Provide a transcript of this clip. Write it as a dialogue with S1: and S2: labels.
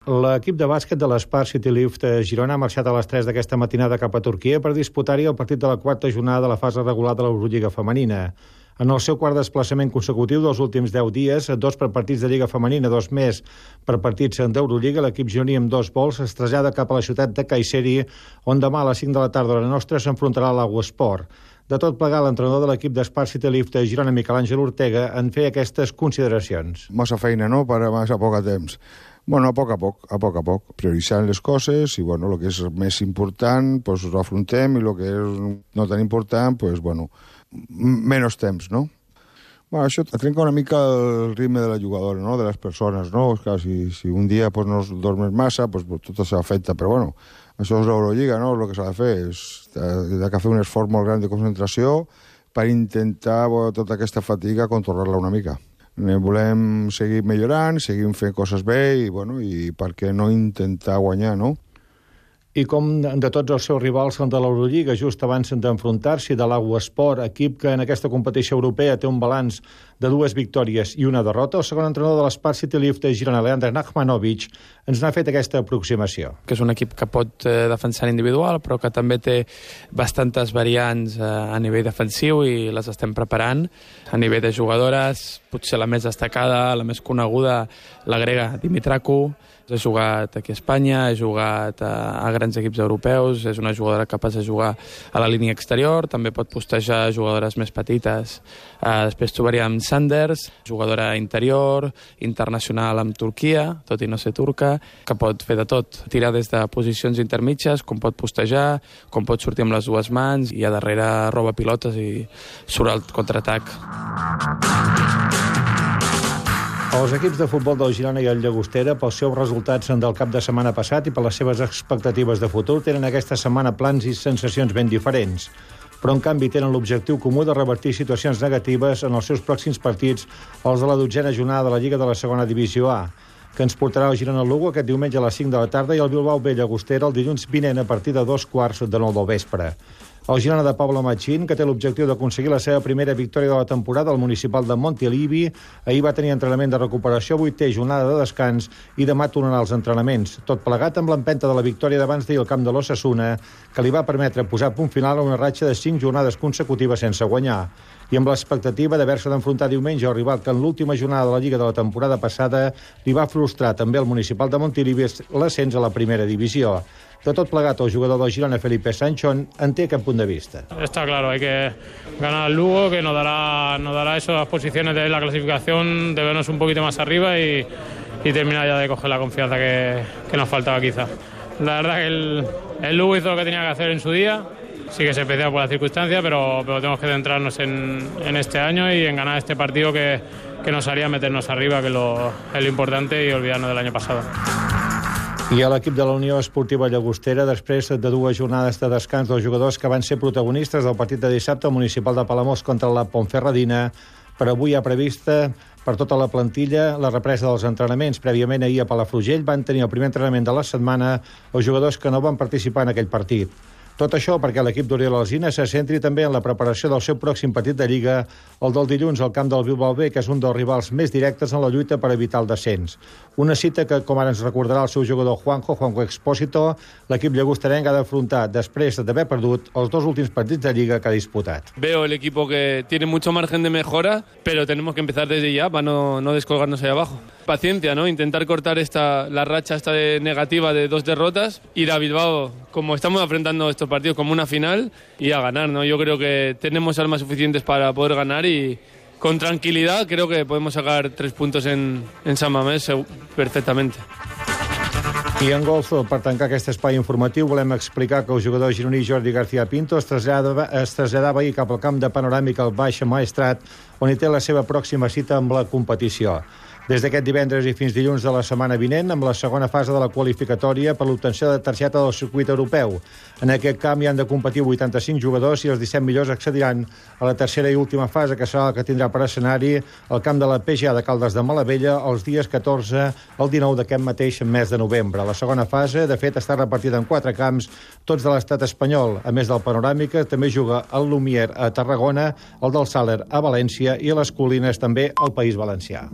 S1: L'equip de bàsquet de l'Spar City Lift Girona ha marxat a les 3 d'aquesta matinada cap a Turquia per disputar-hi el partit de la quarta jornada de la fase regular de l'Eurolliga femenina. En el seu quart desplaçament consecutiu dels últims 10 dies, 2 per partits de Lliga femenina, 2 més per partits d'Eurolliga, l'equip gironí amb 2 vols es trasllada cap a la ciutat de Kayseri, on demà a les 5 de la tarda hora nostra s'enfrontarà a l'Aguasport. De tot plegat, l'entrenador de l'equip d'Spar City Lift Girona, Miquel Àngel Ortega, en feia aquestes consideracions.
S2: Massa feina, no?, per a massa poc temps. Bueno, a poc a poc, prioritzant les coses i, bueno, el que és més important, pues ho afrontem i el que és no tan important, pues, bueno, menys temps, no? Bueno, això trenca una mica el ritme de la jugadora, no?, de les persones, no? Clar, si un dia pues, no dormes massa, pues, tot s'afecta, però, bueno, això és l'Eurolliga, no?, el que s'ha de fer és de fer un esforç molt gran de concentració per intentar tota aquesta fatiga controlar-la una mica. Volem seguir millorant, seguim fent coses bé i, bueno, i per què no intentar guanyar, no?
S1: I com de tots els seus rivals de l'Eurolliga, just abans d'enfrontar-s'hi de l'Aguasport, equip que en aquesta competició europea té un balanç de 2 victòries i una derrota, el segon entrenador de l'Spar City Lift Girona, Leandre Nachmanovic, ens n'ha fet aquesta aproximació.
S3: Que és un equip que pot defensar en individual, però que també té bastantes variants a nivell defensiu i les estem preparant. A nivell de jugadores, potser la més destacada, la més coneguda, la grega Dimitraku. He jugat aquí a Espanya, he jugat a grans equips europeus, és una jugadora capaç de jugar a la línia exterior, també pot postejar jugadores més petites. Després trobaríem Sanders, jugadora interior, internacional amb Turquia, tot i no ser turca, que pot fer de tot, tirar des de posicions intermitges, com pot postejar, com pot sortir amb les 2 mans, i a darrere roba pilotes i surt al contraatac.
S1: Els equips de futbol del Girona i el Llagostera, pels seus resultats del cap de setmana passat i per les seves expectatives de futur, tenen aquesta setmana plans i sensacions ben diferents. Però, en canvi, tenen l'objectiu comú de revertir situacions negatives en els seus pròxims partits, els de la 12a jornada de la Lliga de la Segona Divisió A, que ens portarà el Girona-Lugo aquest diumenge a les 5 de la tarda i el Bilbao B-Llagostera el dilluns vinent a partir de 2:15 del vespre. El Girona de Pablo Machín, que té l'objectiu d'aconseguir la seva primera victòria de la temporada al municipal de Montilivi, ahir va tenir entrenament de recuperació, 8è jornada de descans i demà tornarà als entrenaments. Tot plegat amb l'empenta de la victòria d'abans d'ahir al camp de l'Osasuna, que li va permetre posar punt final a una ratxa de 5 jornades consecutives sense guanyar. I amb l'expectativa d'haver-se d'enfrontar diumenge al rival que en l'última jornada de la Lliga de la temporada passada li va frustrar també al municipal de Montilivi l'ascens a la primera divisió. De tot plegat, el jugador del Girona, Felipe Sancho, en té aquest punt de vista.
S4: Está claro, hay que ganar al Lugo, que nos dará esas posiciones de la clasificación, de vernos un poquito más arriba y terminar ya de coger la confianza que nos faltaba quizá. La verdad que el Lugo hizo lo que tenía que hacer en su día, sí que se especial por la circunstancia, pero tenemos que centrarnos en este año y en ganar este partido que nos haría meternos arriba, que es lo importante, y olvidarnos del año pasado.
S1: I a l'equip de la Unió Esportiva Llagostera, després de 2 jornades de descans dels jugadors que van ser protagonistes del partit de dissabte al municipal de Palamós contra la Ponferradina, per avui ha prevista per tota la plantilla la represa dels entrenaments. Prèviament ahir a Palafrugell van tenir el primer entrenament de la setmana els jugadors que no van participar en aquell partit. Tot això perquè l'equip d'Oriol Alsina se centri també en la preparació del seu pròxim partit de Lliga, el del dilluns al camp del Bilbao B, que és un dels rivals més directes en la lluita per evitar el descens. Una cita que, com ara ens recordarà el seu jugador Juanjo Expósito, l'equip llagosterenc ha d'afrontar després d'haver perdut els 2 últims partits de Lliga que ha disputat.
S5: Veo el equipo que tiene mucho margen de mejora, pero tenemos que empezar desde ya para no descolgarnos ahí abajo. Paciencia, ¿no? Intentar cortar la racha esta negativa de 2 derrotas, ir a Bilbao, como estamos enfrentando estos partidos, como una final, y a ganar, ¿no? Yo creo que tenemos armas suficientes para poder ganar y con tranquilidad creo que podemos sacar 3 puntos en San Mamés perfectamente.
S1: I en golf, per tancar aquest espai informatiu, volem explicar que el jugador gironí Jordi García Pinto es traslladava ahir cap al camp de Panoràmic al Baix Maestrat, on hi té la seva pròxima cita amb la competició. Des d'aquest divendres i fins dilluns de la setmana vinent, amb la segona fase de la qualificatòria per l'obtenció de targeta del circuit europeu. En aquest camp hi han de competir 85 jugadors i els 17 millors accediran a la tercera i última fase, que serà la que tindrà per escenari el camp de la PGA de Caldes de Malavella els dies 14 al 19 d'aquest mateix mes de novembre. La segona fase, de fet, està repartida en 4 camps, tots de l'estat espanyol. A més del Panoràmica, també juga el Lumière a Tarragona, el del Sàler a València i a les Colines també al País Valencià.